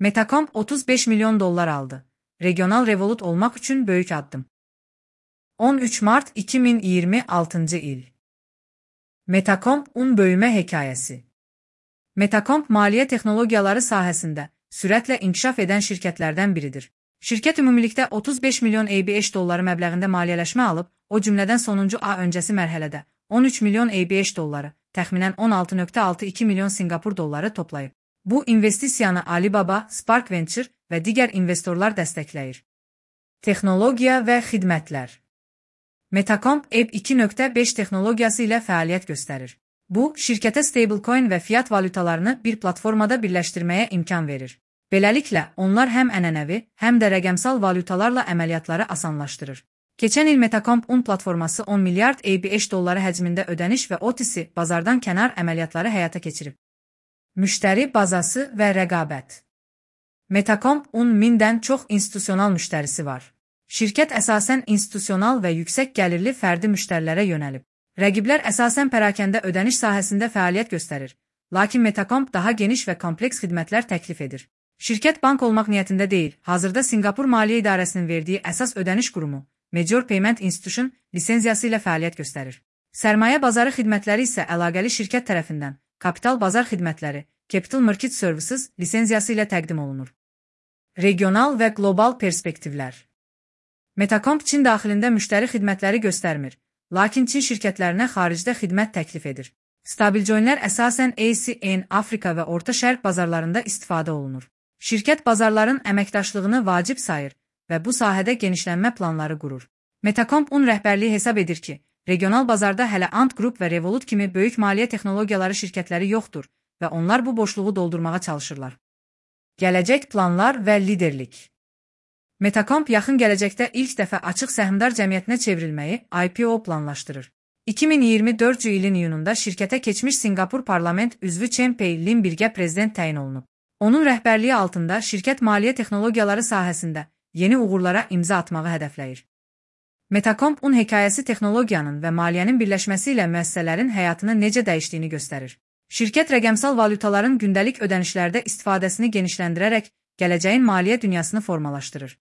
Metacomp 35 milyon dolar aldı. Regional Revolut olmak için büyük addım. 13 Mart 2026 il. Metacomp böyüme hekayesi. Metacomp maliyyə texnologiyaları sahəsində sürətlə inkişaf edən şirkətlərdən biridir. Şirkət ümumilikdə 35 milyon ABH dolları məbləğində maliyyələşmə alıb, o cümlədən sonuncu A öncəsi mərhələdə 13 milyon ABH dolları, təxminən 16,62 milyon Singapur dolları toplayıb. Bu investisiyanı Alibaba, Spark Venture və digər investorlar dəstəkləyir. Texnologiya və xidmətlər. Metacomp Web 2.5 texnologiyası ilə fəaliyyət göstərir. Bu, şirkətə stablecoin və fiat valyutalarını bir platformada birləşdirməyə imkan verir. Beləliklə, onlar həm ənənəvi, həm də rəqəmsal valyutalarla əməliyyatları asanlaşdırır. Keçən il Metacomp platforması 10 milyard ABH dolları həcmində ödəniş və OTC bazardan kənar əməliyyatları həyata keçirib. Müştəri bazası və rəqabət. Metacomp 1000-dən çox institusional müştərisi var. Şirkət əsasən institusional və yüksək gəlirli fərdi müştərilərə yönəlib. Rəqiblər əsasən pərakəndə ödəniş sahəsində fəaliyyət göstərir, lakin Metacomp daha geniş və kompleks xidmətlər təklif edir. Şirkət bank olmaq niyyətində deyil, hazırda Singapur Maliyyə İdarəsinin verdiyi əsas ödəniş qurumu, Major Payment Institution lisenziyası ilə fəaliyyət göstərir. Sərmayə bazarı xidmətləri isə əlaqəli şirkət tərəfindən Kapital Bazar Xidmətləri, Capital Market Services lisenziyası ilə təqdim olunur. Regional və qlobal perspektivlər. Metacomp Çin daxilində müştəri xidmətləri göstərmir, lakin Çin şirkətlərinə xaricdə xidmət təklif edir. Stabilcoinlər əsasən ASEAN, Afrika və Orta Şərq bazarlarında istifadə olunur. Şirkət bazarların əməkdaşlığını vacib sayır və bu sahədə genişlənmə planları qurur. Metacomp rəhbərliyi hesab edir ki, regional bazarda hələ Ant Group və Revolut kimi böyük maliyyə texnologiyaları şirkətləri yoxdur və onlar bu boşluğu doldurmağa çalışırlar. Gələcək planlar və liderlik. Metacomp yaxın gələcəkdə ilk dəfə açıq səhmdar cəmiyyətinə çevrilməyi IPO planlaşdırır. 2024 ilin iyununda şirkətə keçmiş Singapur Parlament üzvü Chen Pei Lin birgə prezident təyin olunub. Onun rəhbərliyi altında şirkət maliyyə texnologiyaları sahəsində yeni uğurlara imza atmağı hədəfləyir. Metacomp hekayəsi texnologiyanın və maliyyənin birləşməsi ilə müəssisələrin həyatını necə dəyişdiyini göstərir. Şirkət rəqəmsal valyutaların gündəlik ödənişlərdə istifadəsini genişləndirərək gələcəyin maliyyə dünyasını formalaşdırır.